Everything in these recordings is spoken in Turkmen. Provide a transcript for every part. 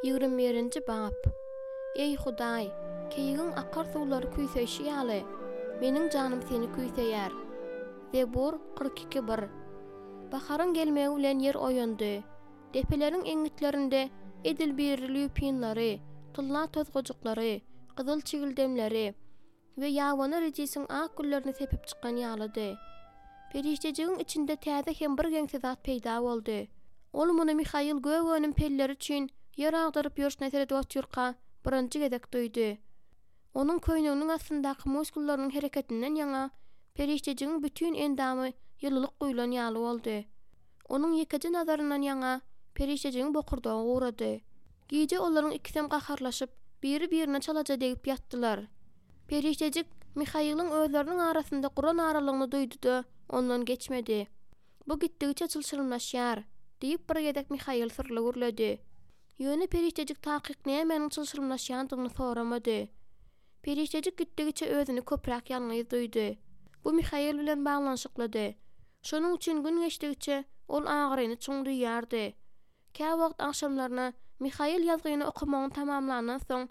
Ýigrimi birinji bap. Eý, Hudaý, keýigiň akar suwlary küýseýşi ýaly, meniň janym Seni küýseýär. Zebur 42, bir. Baharyň gelmegi bilen ýer oýandy. Depeleriň eňňitlerinde edil biri lýupinleri, tylla tozgajyklary, gyzyl çigildemleri we ýabany redisiň ak güllerini sepip çykan ýalydy. Perişdejigiň içinde täze hem birgeňsi zat peýda boldy. Ol muny Mihail gök önüm pelleri üçin ýer agdaryp ýörşüne seredip otyrka birinji gezek duýdy. Onuň köýneginiň astyndaky muskullarynyň hereketinden ýaňa perişdejigiň bütin endamy ýylylyk guýlan ýaly boldy. Onuň ýekeje nazaryndan ýaňa perişdejigiň bokurdagy gurady. Gije olaryň ikisem gaharlaşyp, biri-birine çalaja degip ýatdylar. Perişdejik Mihailiň özleriniň arasynda guran aralygyny duýdy-da, ondan geçmedi. Bu gitdigiçe çylşyrymlaşýar, diýip bir gezek Mihail syrly gürledi. Ýöne perişdejik takyk nämäniň çylşyrymlaşýandygyny soramady. Perişdejik gitdigiçe özüni köpräk ýalňyz duýdy. Bu Mihail bilen baglanyşyklydy. Şonuň üçin gün geçdigiçe ol agyryny çuň duýýardy. Käwagt agşamlaryna Mihail ýazgyny okamagyny tamamlandan soň,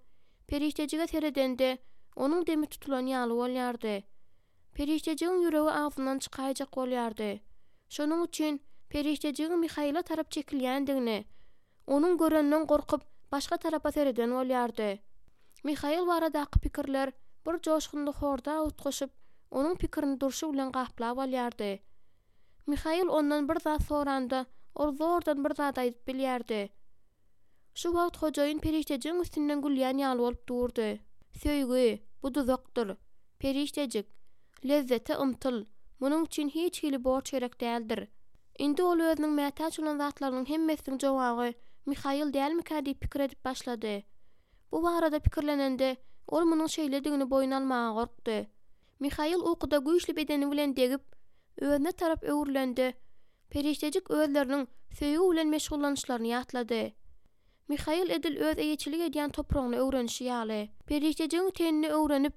perişdejige seredende, onuň demi tutulan ýaly bolýardy. Perişdejigiň ýüregi agzyndan çykaýjak bolýardy. Şonuň üçin perişdejigiň Mihaile tarap çekilýändigini, onuň göreninden gorkup, başga tarapa sereden bolýardy. Mihail baradaky pikirler bir joşgunly horda utgaşyp, onuň pikirini durşy bilen gaplap alýardy. Mihail ondan bir zat soranda, ol zordan bir zat aýdyp bilýärdi. Şu wagt hojaýyn perişdejigiň üstünden gülýän ýaly bolup durdy. Söýgi, bu duzakdyr. Perişdejik, lezzete ymtyl, munuň üçin hiç hili borç gerek däldir. Indi ol özüniň mätäç bolan zatlarynyň hemmesiniň jogaby Mihail dälmikä diýip pikir edip başlady. Bu barada pikirlenende, ol munuň şeýledigini boýun almaga gorkdy. Mihail ukuda güýçli bedeni bilen degip, özüne tarap öwrülende, Perişdejik özleriniň söýgi bilen meşgullanyşlaryny ýatlady. Mihail edil öz eýeçilik edýän topragyny öwrenişi ýaly, perişdejigiň tenini öwrenip,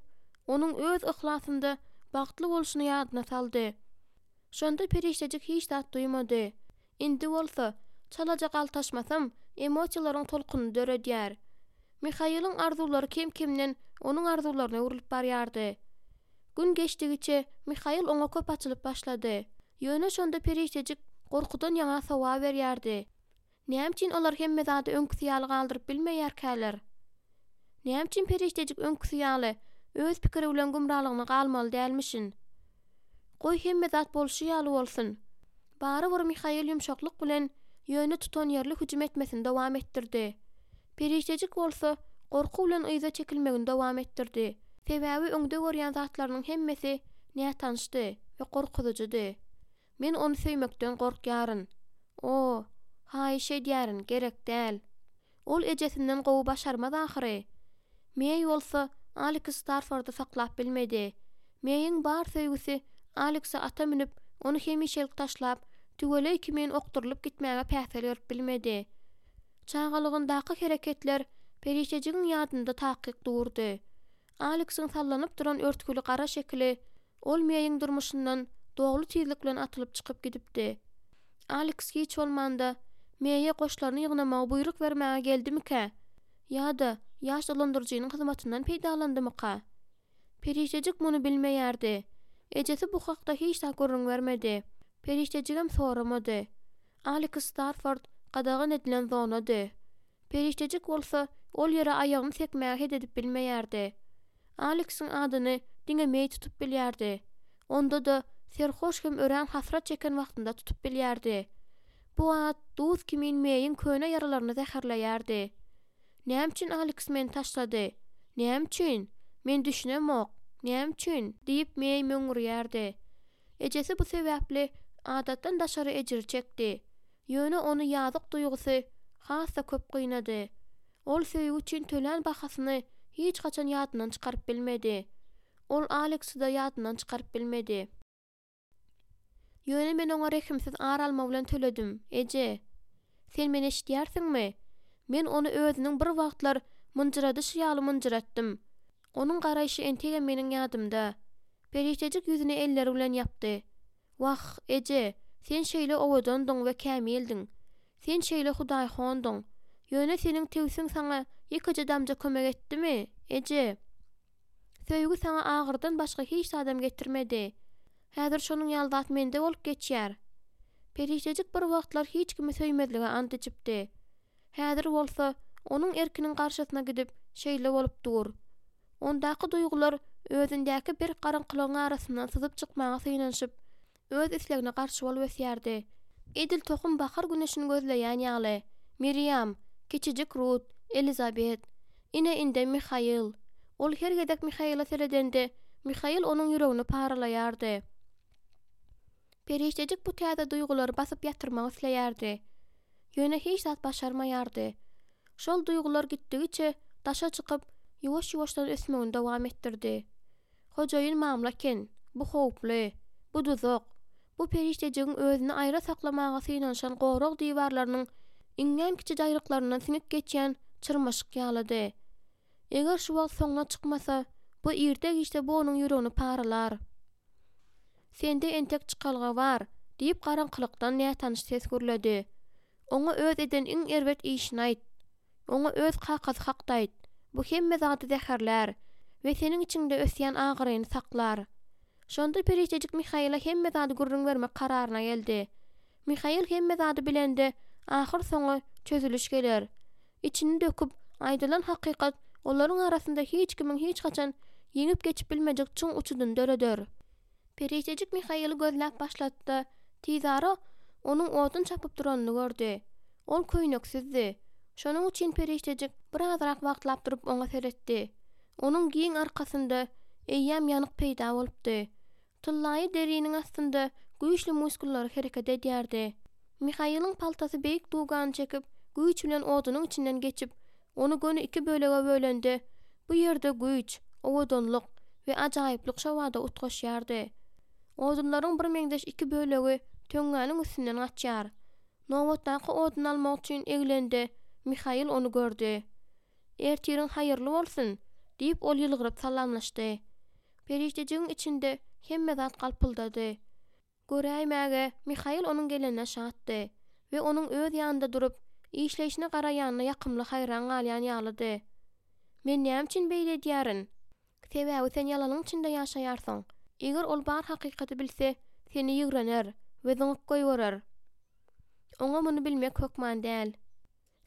onuň öz yhlasynda bagtly bolşuny ýadyna saldy. Şonda perişdejik hiç zat duýmady. Indi bolsa, çalaja galtaşmasam, emosiýalaryň tolkunyny döredýär. Mihailiň arzuwlary kem-kemden onuň arzuwlaryna öwrülip barýardy. Gün geçdigiçe Mihail oňa köp açylyp başlady. Ýöne şonda perişdejik gorkudan ýaňa sowaberýärdi. Näme üçin olar hemme zady öňküsi ýaly galdyryp bilmeýärkäler? Näme üçin perişdejik öňküsi ýaly öz pikiri bilen gümralygyna galmaly dälmişin? Goý hemme zat bolşy ýaly bolsun. Barybir Mihail ýumşaklyk bilen, ýöne tutanýerli hüjüm etmesini dowam etdirdi. Perişdejik bolsa gorky bilen yza çekilmegini dowam etdirdi. Sebäbi öňde görýän zatlarynyň hemmesi nätanyşdy we gorkuzyjydy. Men ony söýmekden gorkýaryn. O, haýyş edýärin, gerek däl. Ol ejesinden gowy başarmaz ahyry. Meý bolsa Aleks Starfordy saklap bilmedi. Meýiň bar söýgüsi Alekse ata münüp, ony hemişelik taşlap, tüweleý kimin okdurylyp gitmäge päsgel berip bilmedi. Çagalygyndaky hereketler perişdejigiň ýadynda takyk durdy. Aleksiň sallanyp duran örtgüli gara şekili ol Meýiň durmuşyndan dogry tizlik bilen atylyp çykyp gidipdi. Aleks hiç bolmanda Meýe goşlaryny ýygnamagy buýruk bermäge geldimikä ýa-da ýaş dolandyryjynyň hyzmatyndan peýdalandymyka? Perişdejik muny bilmeýärdi. Ejesi bu hakda hiç zat gürrüň bermedi. Perişdejigem soramady. Aleks Starford gadagan edilen zonady. Perişdejik bolsa ol ýere aýagyny sekmäge het edip bilmeýärdi. Aleksiň adyny diňe Meý tutup bilýärdi. Onda-da serhoş hem örän hasrat çeken wagtynda tutup bilýärdi. Bu at duz kimin Meýiň köne ýaralaryny zäherleýärdi. Näme üçin Aleks meni taşlady? Näme üçin? Men düşünemok. Näme üçin? diýip Meý möňňürýärdi. Ejesi bu sebäpli adatdan daşary ejir çekdi. Ýöne ony ýazyk duýgusy has-da köp gynady. Ol söýgi üçin tölän bahasyny hiç haçan ýadyndan çykaryp bilmedi. Ol Aleksi-de ýadyndan çykaryp bilmedi. Ýöne men oňa rehimsiz ar alma bilen töledim, eje. Sen meni eşidýärsiňmi? Men ony özüniň bir wagtlar mynjyradyşy ýaly mynjyratdym. Onuň garaýşy entegem meniň ýadymda. Perişdejik ýüzüni elleri bilen ýapdy. Wah, eje, sen şeýle owadandyň we kämildiň. Sen şeýle hudaýhondyň. Ýöne seniň tewsiň saňa ýekeje damja kömek etdimi, eje? Söýgi saňa agyrdan başga hiç zadam getirmedi. Häzir şonuň ýaly zat mende bolup geçýär. Perişdejik bir wagtlar hiç kimi söýmezlige ant içipdi. Häzir bolsa, onuň erkiniň garşysyna gidip, şeýle bolup dur. Ondaky duýgular özündäki berk garaňkylygyň arasyndan syzyp çykmaga synanyşyp, öz islegine garşy bolup ösýärdi. Edil tohum bahar güneşini gözleýän ýaly, Miriam, kiçijik Rut, Elizabet, ine indem Mihail. Ol her gezek Mihaila seredende, Mihail onuň ýüregini paralaýardy. Perişdejik bu täze duýgulary basyp ýatyrmak isleýärdi. Ýöne hiç zat başarmaýardy. Şol duýgular gitdigiçe daşa çykyp, ýuwaş-ýuwaşdan ösmegini dowam etdirdi. Hojaýyn mamla eken, bu howply, bu duzak, bu perişdejigiň özüni aýra saklamaga synanyşan gorag diwarlarynyň iňňän kiçi jaýryklaryndan siňip geçýän çyrmaşyk ýalydy. Eger şu wagt soňuna çykmasa, bu irde-giçde bu onuň ýüregini paralar. Sende entek çykalga bar, diýip garaňkylykdan nätanyş ses gürledi. Oňa öz eden iň erbet işini aýt. Oňa öz kakasy hakda aýt. Bu hemme zady zäherlär we seniň içiňde ösýän agyryny saklar. Şonda perişdejik Mihaila hemme zady gürrüň bermek kararyna geldi. Mihail hemme zady bilende, ahyrsoňy çözüliş geler. Içini döküp, aýdylan hakykat olaryň arasynda hiç kimiň hiç haçan ýeňip geçip bilmejek çuň uçudyny döreder. Perişdejik Mihaili gözläp başlady-da, tizara onuň odun çapyp duranyny gördi. Ol köýneksizdi. Şonuň üçin perişdejik birazrak wagtlap durup oňa seretdi. Onuň giň arkasynda eýýäm ýanyk peýda bolupdy. Tyllaýy deriniň astynda güýçli muskullary hereket edýärdi. Mihailiň paltasy beýik dugany çekip, güýç bilen odunyň içinden geçip, ony göni iki bölege bölende, bu ýerde güýç, owadanlyk we ajaýyplyk şobada utgaşýardy. Odunlaryň birmeňzeş iki bölegi töňňäniň üstünden gaçýar. Nobatdaky oduny almak üçin eglende, Mihail ony gördi. Ertiriň haýyrly bolsun! diýip, ol ýylgyryp salamlaşdy. Perişdejigiň içinde hemme zat galpyldady. Göräýmäge, Mihail onuň gelenine şatdy we onuň öz ýanynda durup, işleýşine garaýanyna ýakymly haýran galýan ýalydy. Men näme üçin beýle edýärin? Sebäbi sen ýalanyň içinde ýaşaýarsyň. Eger ol bar hakykaty bilse, seni ýigrener we zyňyp goýberer. Oňa muny bilmek hökman däl.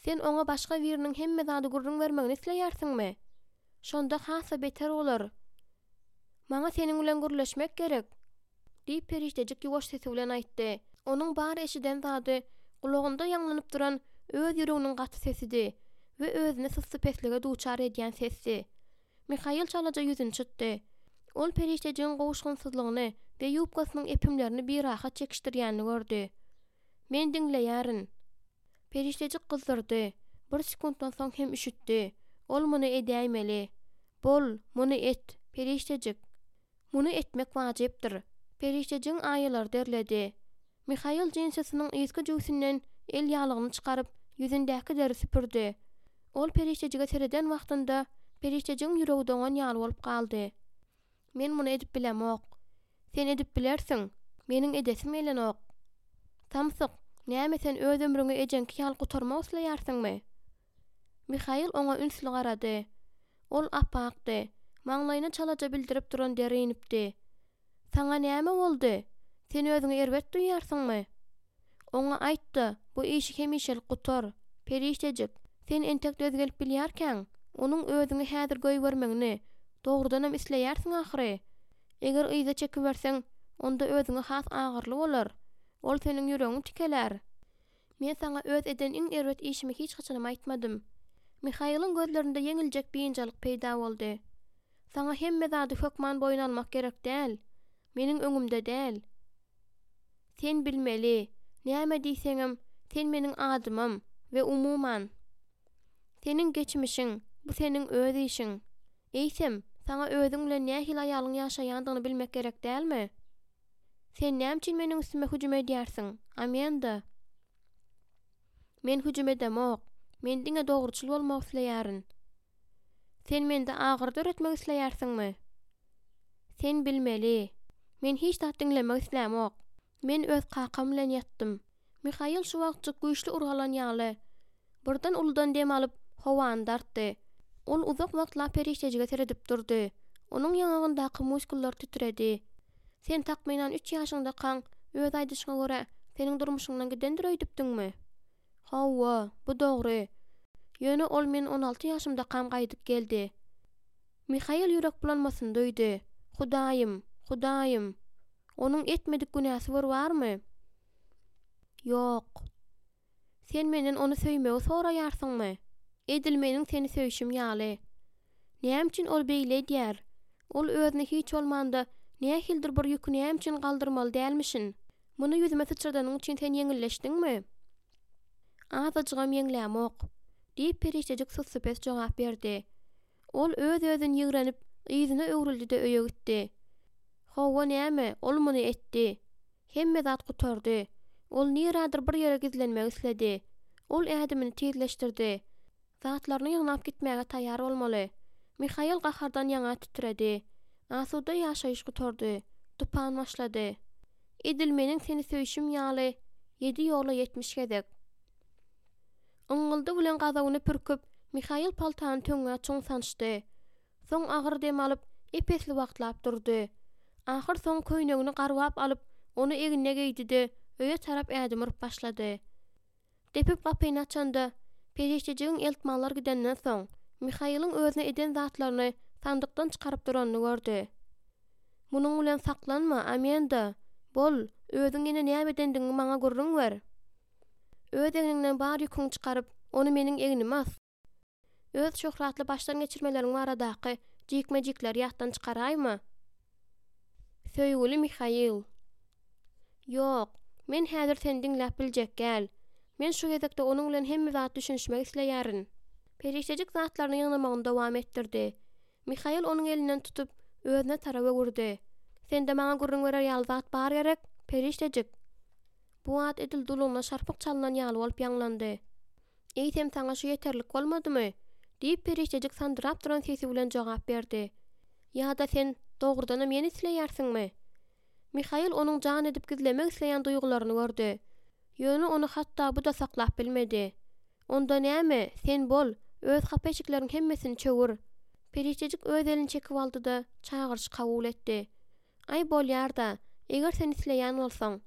Sen oňa başga biriniň hemme zady gürrüň bermegini isleýärsiňmi? Şonda has-da beter bolar. Maňa seniň bilen gürleşmek gerek, diýip, perişdejik ýuwaş sesi bilen aýtdy. Onuň bar eşiden zady gulagynda ýaňlanyp duran öz ýüreginiň gaty sesidi we özüni sussupeslige duçar edýän sesdi. Mihail çalaja ýüzüni çytdy. Ol perişdejigiň gowuşgynsyzlygyny we ýubkasynyň epimlerini birahat çekişdirýänini gördi. Men diňleýärin. Perişdejik gyzdurdy. Bir sekuntdan soň hem üşütdi. Ol muny edäýmeli. Bol, muny et, perişdejik. Muny etmek wajypdyr. Perişdejigiň aýalary derledi. Mihail jinsisiniň yzky jübüsinden el ýaglygyny çykaryp, ýüzündäki deri süpürdi. Ol perişdejige sereden wagtynda, perişdejigiň ýüregi doňan ýaly bolup galdy. Men muny edip bilemok. Sen edip bilersiň. Meniň edesim gelenok. Samsyk, näme sen öz ömrüňi ejeňki ýaly gutarmak isleýärsiňmi? Mihail oňa ünsli garady. Ol ap-akdy. Maňlaýyna çalaja bildirip duran der inipdi. Saňa näme boldy? Sen özüňi erbet duýýarsyňmy? Oňa aýt-da, bu işi hemişelik gutar. Perişdejik, sen entek döz gelip bilýärkäň, onuň özüňi häzir goýbermegini, dogrudanam isleýärsiň ahyry. Eger yza çekiberseň, onda özüňe has agyrly bolar. Ol seniň ýüregiňi tikelär. Men saňa öz eden iň erbet işimi hiç haçanam aýtmadym. Mihailiň gözlerinde ýeňiljek biynjalyk peýda boldy. Saňa hemme zady hökman boýun almak gerek däl. Meniň öňümde däl. Sen bilmeli, näme diýseňem, sen meniň adymym we umuman, seniň geçmişiň, bu seniň öz işiň. Eýsem, saňa özüň bilen nähili aýalyň ýaşaýandygyny bilmek gerek dälmi? Sen näme üçin meniň üstüme hüjüm edýärsiň, Amenda? Men hüjüm edemok. Men diňe dogruçyl bolmak isleýärin. Sen mende agyry döretmek isleýärsiňmi? Sen bilmeli. Men hiç zat diňlemek islämok. Men öz kakam bilen ýatdym. Mihail şu wagtjyk güýçli urgy alan ýaly. Birden uludan dem alyp, howany dartdy. Ol uzak wagtlap perişdejige seredip durdy. Onuň ýaňagyndaky muskullar titredi. Sen takmynan üç ýaşyňdakaň, öz aýdyşyňa görä, seniň durmuşyňdan gidendir öýdüpdiňmi? Hawa, bu dogry. Ýöne ol men 16 ýaşymdakam gaýdyp geldi. Mihail ýürek bulanmasyny duýdy. Hudaýym! Hudaýym! Onuň etmedik günäsi bir barmy? Ýok. Sen menden ony söýmegi soraýarsyňmy? Edil meniň seni söýşüm ýaly. Näme üçin ol beýle edýär? Ol özüne hiç bolmanda nähilidir bir ýüki näme üçin galdyrmaly dälmişin? Muny ýüzüme syçradanyň üçin sen ýeňilleşdiňmi? Azajygam ýeňlämok, diýip perişdejik sussupes jogap berdi. Ol öz-özüni ýigrenip, yzyna öwrüldi-de öýe gitdi. Hawa, näme, ol muny etdi. Hemme zat gutardy. Ol nirädir bir ýere gizlenmek isledi. Ol ädimini tizleşdirdi. Zatlaryny ýygnap gitmäge taýýar bolmaly. Mihail gahardan ýaňa titredi. Asuda ýaşaýyş gutardy. Tupan başlady. Edil meniň seni söýşüm ýaly, ýedi ýola 70 gezek. Yňňyldy bilen gazabyny pürküp, Mihail paltany töňňä çuň sançdy. Soň agyr dem alyp, ep-esli wagtlap durdy. Ahyrsoňy köýnegini garbap alyp, ony egnine geýdi-de, öýe tarap ädim urup başlady. Depip gapyny açanda, perişdejigiň eltmanlar gidenden soň, Mihailiň özüne eden zatlaryny sandykdan çykaryp duranyny gördi. Munuň bilen saklanma, Amenda! Bol, özüň ýene näme edendigiňi maňa gürrüň ber! Öz egniňden bar ýüküňi çykaryp, ony meniň egnime as! Öz şöhratly başdan geçirmeleriň baradaky jikme-jikleri ýatdan çykaraýma! Söýgüli Mihail! Ýok, men häzir seni diňläp biljek gäl. Men şu gezekde onuň bilen hemme zat düşünişmek isleýärin. Perişdejik zatlaryny ýygnamagyny dowam etdirdi. Mihail onuň elinden tutup, özüne tarap öwürdi. Sende maňa gürrüň berer ýaly zat bar gerek, perişdejik? Bu at edil dulugyna şarpyk çalnan ýaly bolup ýaňlandy. Eýsem saňa şu ýeterlik bolmadymy? diýip perişdejik sandyrap duran sesi bilen jogap berdi. Ýa-da sen dogrudanam ýene isleýärsiňmi? Mihail onuň jan edip gizlemek isleýän duýgularyny gördi. Ýöne ony hatda bu-da saklap bilmedi. Onda näme, sen bol, öz hapa eşikleriň hemmesini çöwür. Perişdejik öz elini çekip aldy-da, çagyryşy kabul etdi. Aý, bolýar-da, eger sen isleýän bolsaň.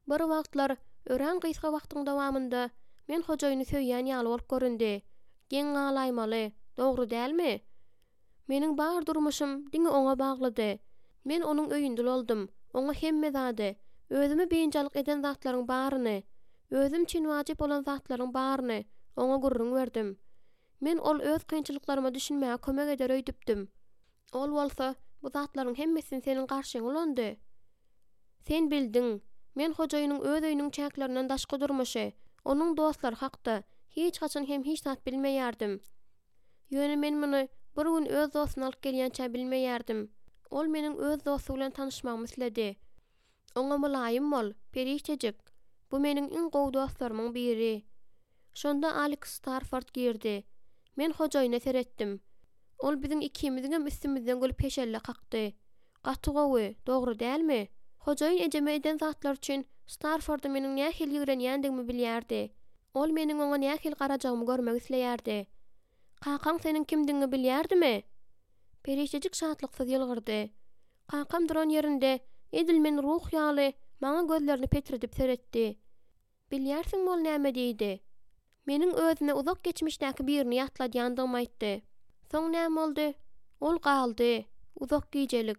Bir wagtlar, örän gysga wagtyň dowamynda, men hojaýyny söýýän ýaly bolup göründi. Geň galaýmaly, dogry dälmi? Meniň bar durmuşym diňe oňa baglydy. Men onuň öýünde ulalyndym, oňa hemme zady, özümi biynjalyk eden zatlaryň baryny, özüm üçin wajyp bolan zatlaryň baryny oňa gürrüň berdim. Men ol öz kynçylyklaryma düşünmäge kömek eder öýdüpdim. Ol bolsa bu zatlaryň hemmesini seniň garşyňa ulandy. Sen bildiň, men hojaýynyň öz öýüniň çäklerinden daşky durmuşy, onuň dostlary hakda hiç haçan hem hiç zat bilmeýärdim. Ýöne men muny bir gün öz dostuny alyp gelýänçä bilmeýärdim. Ol meniň öz dosty bilen tanyşmagymy isledi. Oňa mylaýym bol, perişdejik. Bu meniň iň gowy dostlarymyň biri. Şonda Aleks Starford girdi. Men hojaýyna seretdim. Ol biziň ikimiziňem üstümizden gülüp heşelle kakdy. Gaty gowy, dogry dälmi? Hojaýyn ejeme eden zatlary üçin Starfordy meniň nähili ýigrenýändigimi bilýärdi. Ol meniň oňa nähili garajagymy görmek isleýärdi. Kakaň seniň kimdigiňi bilýärdimi? Perişdejik şatlyksyz ýylgyrdy. Kakam duran ýerinde, edil men ruh ýaly, maňa gözlerini petredip seretdi. Bilýärsiňmi ol näme diýdi? Meniň özüne uzak geçmişdäki birini ýatladýandygymy aýtdy. Soň näme boldy? Ol galdy. Uzak gijelik.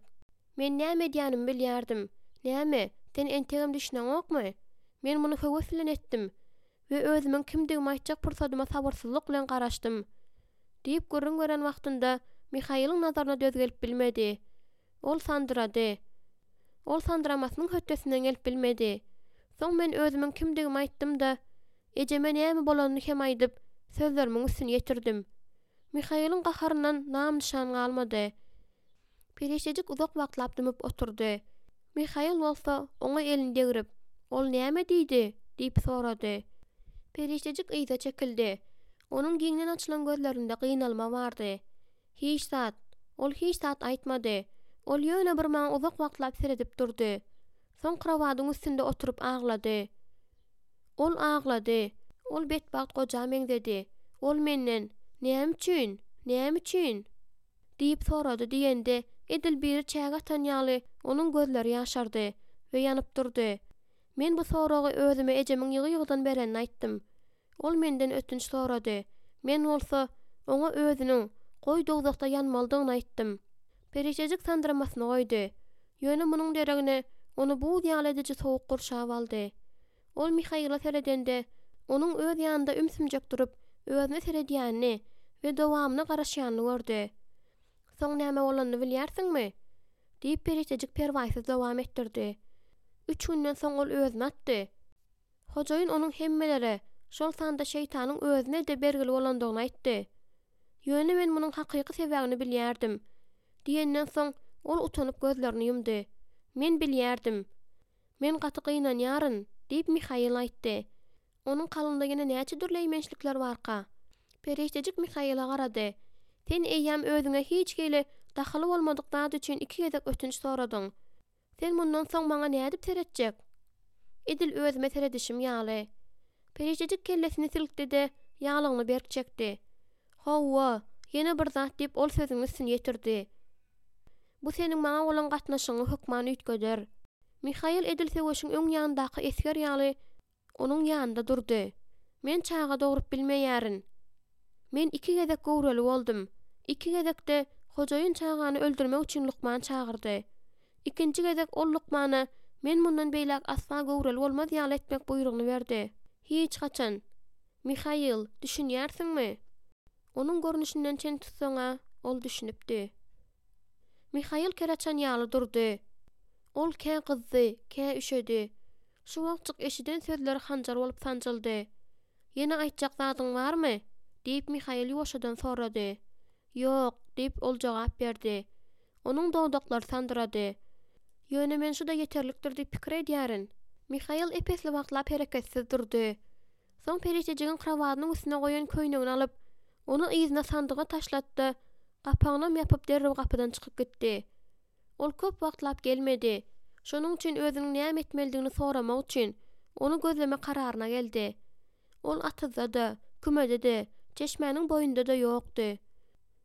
Men näme edýänimi bilýärdim. Näme, sen entegem düşüneňokmy? Men muny höwes bilen etdim we özümiň kimdigimi aýtjak pursadyma sabyrsyzlyk bilen garaşdym. Diýip gürrüň beren wagtynda Mihailiň nazaryna döz gelip bilmedi. Ol sandyrady. Ol sandyramasynyň hötdesinden gelip bilmedi. Soň men özümiň kimdigimi aýtdym-da, ejeme näme bolanyny hem aýdyp, sözlerimiň üstüni ýetirdim. Mihailiň gaharyndan nam-nyşan galmady. Perişdejik uzak wagtlap dymyp oturdy. Mihail bolsa oňa elini degrip, Ol näme diýdi? diýip sorady. Perişdejik yza çekildi. Onuň giňden açylan gözlerinde gynalma bardy. Hiç zat. Ol hiç zat aýtmady. Ol ýöne bir maňa uzak wagtlap seredip durdy. Soň krowadyň üstünde oturyp aglady. Ol aglady. Ol betbagt goja meňzedi. Ol menden, Näme üçin? Näme üçin? Diýip sorady diýende, edil biri çäge atan ýaly, onuň gözleri ýaşardy we ýanyp durdy. Men bu soragy özüme ejemiň ýygy-ýygydan berenini aýtdym. Ol menden ötünç sorady. Men bolsa, oňa özüniň, goý dowzahda ýanmalydygyny aýtdym. Perişdejik sandyramasyny goýdy. Ýöne munuň deregine, ony buz ýaly ediji sowuk gurşap aldy. Ol Mihaila seredende, onuň öz ýanynda ümsümjek durup, özüne seredýänini we dowamyna garaşýanyny gördi. Soň näme bolanyny bilýärsiňmi? diýip, perişdejik perwaýsyz dowam etdirdi. Üç günden soň ol özüni atdy. Hojaýyn onuň hemmelere, şol sanda şeýtanyň özüne-de bergili bolandygyny aýtdy. Ýöne men munuň hakyky sebäbini bilýärdim. Diýenden soň, ol utanyp gözlerini ýumdy. Men bilýärdim. Men gaty gynanýaryn, diýip, Mihail aýtdy. Onuň kalbynda ýene näçe dürli eýmençlikler barka? Perişdejik Mihaile garady. Sen eýýäm özüňe hiç hili dahyly bolmadyk zat üçin iki gezek ötünç soradyň. Sen mundan soň maňa nädip seretjek? Edil özüme seredişim ýaly. Perişdejik kellesini silkdi-de, ýaglygyny berk çekdi. Hawa, ýene bir zat diýip ol sözüniň üstüni ýetirdi. Bu seniň maňa bolan gatnaşygyňy hökman üýtgeder. Mihail edil söweşiň öň ýanyndaky esger ýaly onuň ýanynda durdy. Men çaga dogrup bilmeýärin. Men iki gezek göwreli boldum. Iki gezekde hojaýyn çagany öldürmek üçin lukman çagyrdy. Ikinji gezek ol lukmana men mundan beýläk asla göwreli bolmaz ýaly etmek buýrugyny berdi. Hiç haçan. Mihail, düşünýärsiňmi? Onuň görnüşinden çen tutsaň-a, ol düşünipdi. Mihail ker açan ýaly durdy. Ol kä gyzdy, kä üşedi. Şu wagtjyk eşiden sözleri hanjar bolup sanjyldy. Ýene aýtjak zadyň barmy? diýip, Mihail ýuwaşjadan sorady. Ýok, diýip, ol jogap berdi. Onuň dodaklary sandyrady. Ýöne men şu-da ýeterlikdir diýip pikir edýärin. Mihail ep-esli wagtlap hereketsiz durdy. Soň perişdejigiň krowadynyň üstüne goýan köýnegini alyp, ony yzyna sandyga taşlatdy-da, gapagynam ýapyp derrew gapydan çykyp gitdi. Ol köp wagtlap gelmedi. Şonuň üçin özüniň näme etmelidigini soramak üçin, ony gözleme kararyna geldi. Ol atyzda-da, kümede-de, çeşmäniň boýunda-da ýokdy.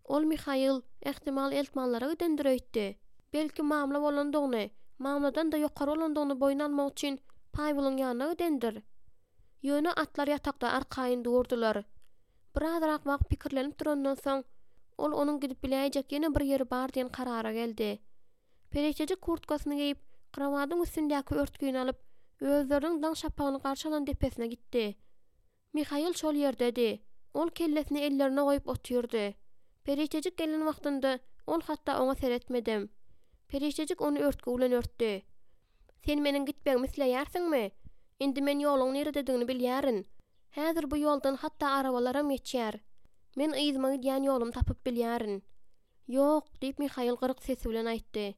Ol Mihail, ähtimal, eltmanlara gidendir öýtdi. Belki, mamla bolandygyny, mamladan-da ýokary bolandygyny boýun almak üçin Paýweliň ýanyna gidendir? Ýöne atlar ýatakda arkaýyn durdular. Birazrak wagt pikirlenip durandan soň, ol onuň gidip biläýjek ýene bir ýeri bar diýen karara geldi. Perişdejik kurtkasyny geýip, krowadyň üstündäki örtgini alyp, özleriniň daň şapagyny garşy alan depesine gitdi. Mihail şol ýerdedi. Ol kellesini ellerine goýup otyrdy. Perişdejik gelen wagtynda ol hatda oňa seretmedem. Perişdejik ony örtgi bilen örtdi. Sen meniň gitmegimi isleýärsiňmi? Indi men ýoluň nirededigini bilýärin. Häzir bu ýoldan hatda arabalaram geçýär. Men yzyma gidýän ýolumy tapyp bilýärin. Ýok, diýip, Mihail gyryk sesi bilen aýtdy.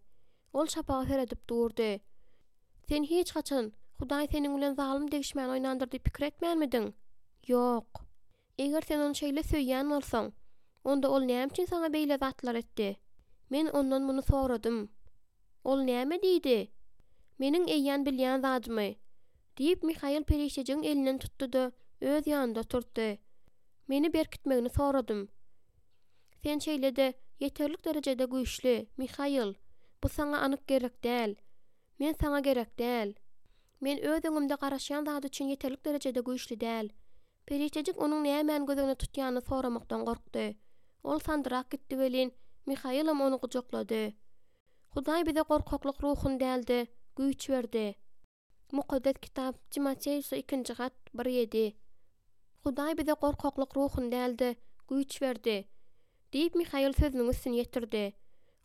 Ol şapaga seredip durdy. Sen hiç haçan, Hudaý seniň bilen zalym degişmäni oýnandyr diýip pikir etmänmidiň? Ýok. Eger sen ony şeýle söýýän bolsaň, onda ol näme üçin saňa beýle zatlar etdi? Men ondan muny soradym. Ol näme diýdi? Meniň eýýän bilýän zadymy. Diýip, Mihail perişdejigiň elinden tutdy-da, öz ýanynda oturtdy. Meni berkitmegini soradym. Sen şeýle-de ýeterlik derejede güýçli, Mihail. Bu saňa anyk gerek däl. Men saňa gerek däl. Men öz öňümde garaşýan zat üçin ýeterlik derejede güýçli däl. Perişdejik onuň nämäni göz öňünde tutýanyny soramakdan gorkdy. Ol sandyrak gitdi welin, Mihailam ony gujaklady. Hudaý bize gorkaklyk ruhuny däl-de, güýç berdi. Mukaddes Kitap, Timoteosa ikinji hat, bir ýedi. Hudaý bize gorkaklyk ruhuny däl-de, güýç berdi. Diýip, Mihail sözüniň üstüni ýetirdi.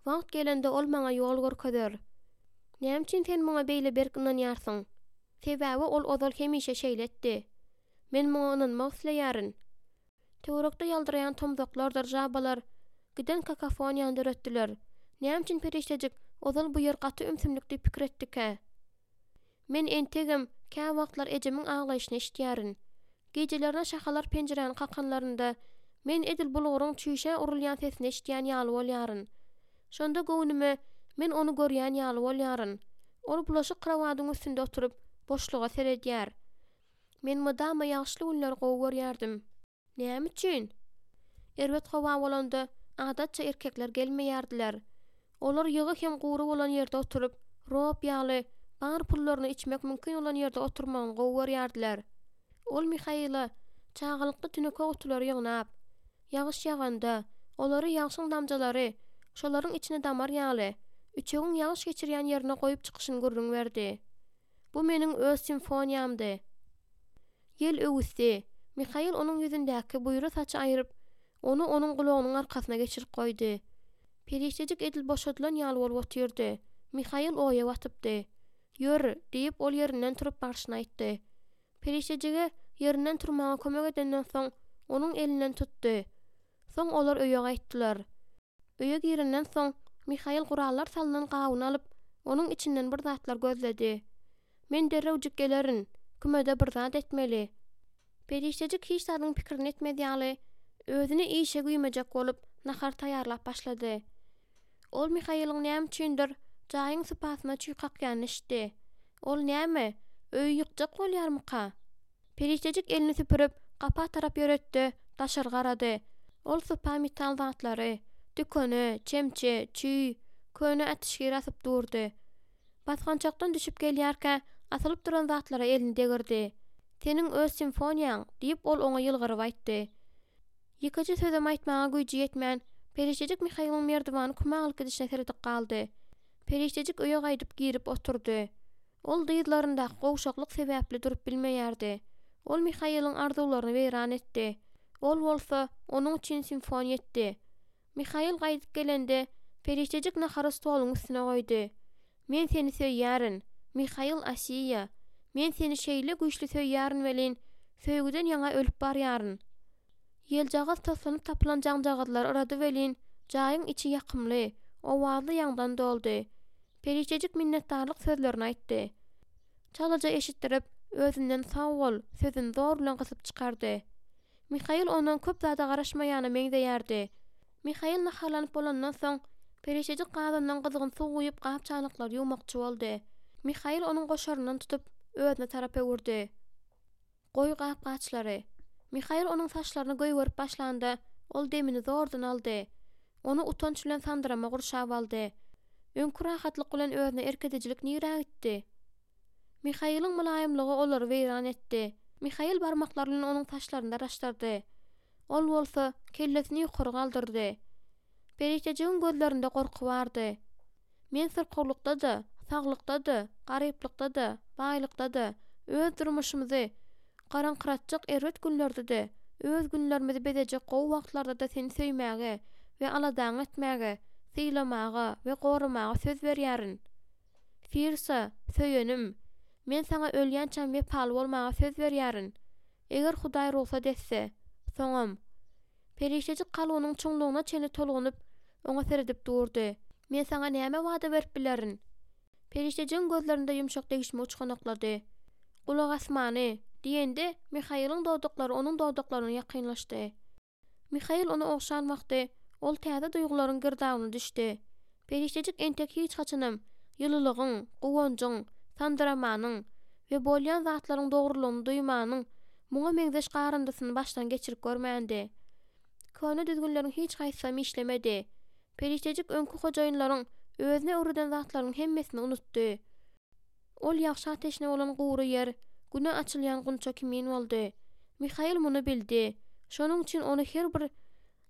Wagt gelende ol maňa ýol görkezer. Näme üçin sen muňa beýle berk ynanýarsyň? Sebäbi ol ozal hemişe şeýle etdi. Men muňa ynanmak isleýärin. Töwerekde ýaldyraýan tomzaklardyr žabalar giden kakofoniýany döretdiler. Näme üçin perişdejik ozal bu ýer gaty ümsümlik diýip pikir etdikä? Men entegem käwagtlar ejemiň aglaýşyny eşidýärin. Gijelerine şahalar penjiräni kakanlarynda, men edil bulguryň çüýşä urulýan sesini eşidýän ýaly bolýaryn. Şonda göwnüme, men ony görýän ýaly bolýaryn. Ol bulaşyk krowadyň üstünde oturyp, boşluga seredýär. Men mydama ýagyşly günleri gowy görýärdim. Näme üçin? Erbet howa bolanda, adatça erkekler gelmeýärdiler. Olar ýygy hem gury bolan ýerde oturyp, rob ýaly, bar pullaryny içmek mümkin bolan ýerde oturmagyny gowy görýärdiler. Ol Mihaila çagalykda tüneke gutulary ýygnap, ýagyş ýaganda, olary ýagşyň damjalary şolaryň içine damar ýaly, üçegiň ýagyş geçirýän ýerine goýup çykyşyny gürrüň berdi. Bu meniň öz simfoniýamdy. Ýel öwüsdi. Mihail onuň ýüzündäki buýra saçy aýryp, ony onuň gulagynyň arkasyna geçirip goýdy. Perişdejik edil boşadylan ýaly bolup otyrdy. Mihail oýa batypdy. Ýör, diýip, ol ýerinden turup barşyna aýtdy. Perişdejige ýerinden turmaga kömek edenden soň, onuň elinden tutdy. Soň olar öýe gaýtdylar. Öýe girenden soň, Mihail gurallar salnan gabyny alyp, onuň içinden bir zatlar gözledi. Men derrewjik gelerin, kümede bir zat etmeli. Perişdejik hiç zadyň pikirini etmez ýaly, özüni işe güýmejek bolup, nahar taýýarlap başlady. Ol Mihailiň näme üçindir, jaýyň sypasyna çüý kakýanyny eşitdi. Ol näme, öýi ýykjak bolýarmyka? Perişdejik elini süpürip, gapa tarap ýöretdi, daşary garady. Ol sypa metal zatlary, dükene, çemçe, çüý, köne ätişgir asyp durdy. Basgançakdan düşüp gelýärkä, asylyp duran zatlara elini degirdi. Seniň öz simfoniýaň, diýip, ol oňa ýylgyryp aýtdy. Ýekeje sözem aýtmaga güýji ýetmän, Perişdejik Mihailiň merdiwany küme alyp gidişine seredip galdy. Perişdejik öýe gaýdyp girip oturdy. Ol dyzlaryndaky gowşaklyk sebäpli durup bilmeýärdi. Ol Mihailiň arzuwlaryny weýran etdi. Ol bolsa, onuň üçin simfoniýa etdi. Mihail gaýdyp gelende, Perişdejik nahary stoluň üstüne goýdy. Men seni söýýärin, Mihail Asiýa. Men seni şeýle güýçli söýýärin welin, söýgüden ýaňa ölüp barýaryn. Ýeljagaz toslanyp tapylan jaňjagazlary yrady welin, jaýyň içi ýakymly, owazly ýaňdan doldy. Perişdejik minnetdarlyk sözlerini aýtdy. Çalaja eşitdirip, özünden sag bol sözüni zor bilen gysyp çykardy. Mihail ondan köp zada garaşmaýana meňzeýärdi. Mihail naharlanyp bolandan soň, Perişdejik gazandan gyzgyn suw guýup gap-çanaklary ýuwmakçy boldy. Mihail onuň goşaryndan tutup, özüne tarap öwürdi. Goý gap-gaçlary. Mihail onuň saçlaryny goýberip başlanda, ol demini zordan aldy. Ony utanç bilen sandyrama gurşap aldy. Öňki rahatlyk bilen özüne erk edijilik nirä gitdi? Mihailiň mylaýymlygy olary weýran etdi. Mihail barmaklary bilen onuň saçlaryny daraşdyrdy. Ol bolsa, kellesini ýokary galdyrdy. Perişdejigiň gözlerinde gorky bardy. Men syrkawlykda-da, saglykda-da, garyplykda-da, baýlykda-da, öz durmuşymyzy garaňkyratjak erbet günlerde-de, öz günlerimizi bezejek gowy wagtlarda-da seni söýmäge we aladaňy etmäge, sylamaga we goramaga söz berýärin. Firsa, söýenim, men saňa ölýänçäm wepaly bolmaga söz berýärin. Eger Hudaý rugsat etse, soňam. Perişdejik kalbynyň çuňlugyna çenli tolgunyp, oňa seredip durdy. Men saňa näme wada berip bilerin? Perişdejigiň gözlerinde ýumşak degişme uçganaklady. Gulak asmany, diýende, Mihailiň dodaklary onuň dodaklaryna ýakynlaşdy. Mihail ony ogşan wagty, ol täze duýgularyň girdabyna düşdi. Perişdejik entek hiç haçanam ýylylygyň, guwanjyň, sandyramanyň we bolýan zatlaryň dogrulygyny duýmanyň muňa meňzeş garyndysyny başdan geçirip görmändi. Köne düzgünleriň hiç haýsysam işlemedi. Perişdejik öňki hojaýynlaryň özüne öwreden zatlarynyň hemmesini unutdy. Ol ýagşa teşne bolan gury ýer, güne açylýan gunça kimin boldy. Mihail muny bildi. Şonuň üçin ony her bir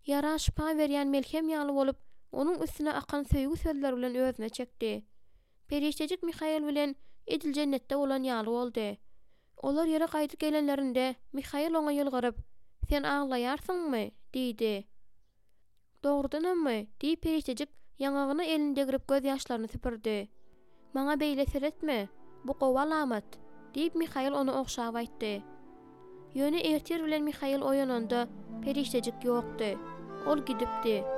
Ýara şypa berýän melhem ýaly bolup, onuň üstüne akan söýgi sözleri bilen özüne çekdi. Perişdejik Mihail bilen edil jennetde bolan ýaly boldy. Olar ýere gaýdyp gelenlerinde, Mihail oňa ýylgyryp, Sen aglaýarsyňmy? diýdi. Dogrudanammy? diýip perişdejik ýaňagyna elini degrip gözýaşlaryny süpürdi. Maňa beýle seretme, bu gowy alamat, diýip Mihail ony ogşap aýtdy. Ýöne ertir bilen Mihail oýananda, perişdejik ýokdy. Ol gidipdi.